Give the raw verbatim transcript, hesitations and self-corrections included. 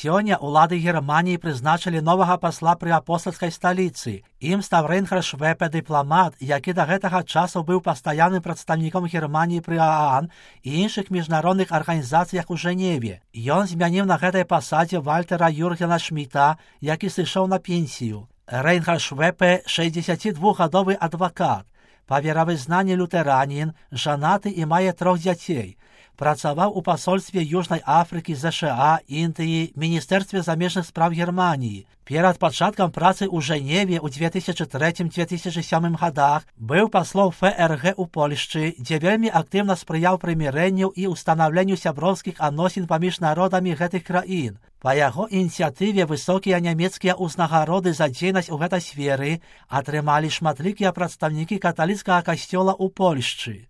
Сёння улады Германии прызначылі новага пасла пры апостальскай сталіцы. Ім стаў Рейнхард Швепе, дыпламат, які да гэтага часу быў пастаянным прадстаўніком Германії пры ААН і іншых міжнародных арганізацыях у Жэневе. Ён змяніў на гэтай пасадзе Вальтера Юргена Шміта, які сышоў на пенсію. Рейнхард Швепе – шэсцідзесяцідвухгадовы адвакат, па веравызнанні лютэранін, жанаты і мае трох дзяцей. Працаваў у пасольстве Южнай Афрыкі, ЗША, Індыі, Міністэрстве замежных спраў Германіі. Перад пачаткам працы ў Жэневе ў дзве тысячы трэцім - дзве тысячы сёмым гадах быў паслом ФРГ у Польшчы, дзе вельмі актыўна спрыяў прымірэнню і ўстанаўленню сяброўскіх адносін паміж народамі гэтых краін. Па яго ініцыятыве высокія нямецкія ўзнагароды за дзейнасць у гэтай сферы атрымалі шматлікія прадстаўнікі каталіцкага касцёла ў Польшчы.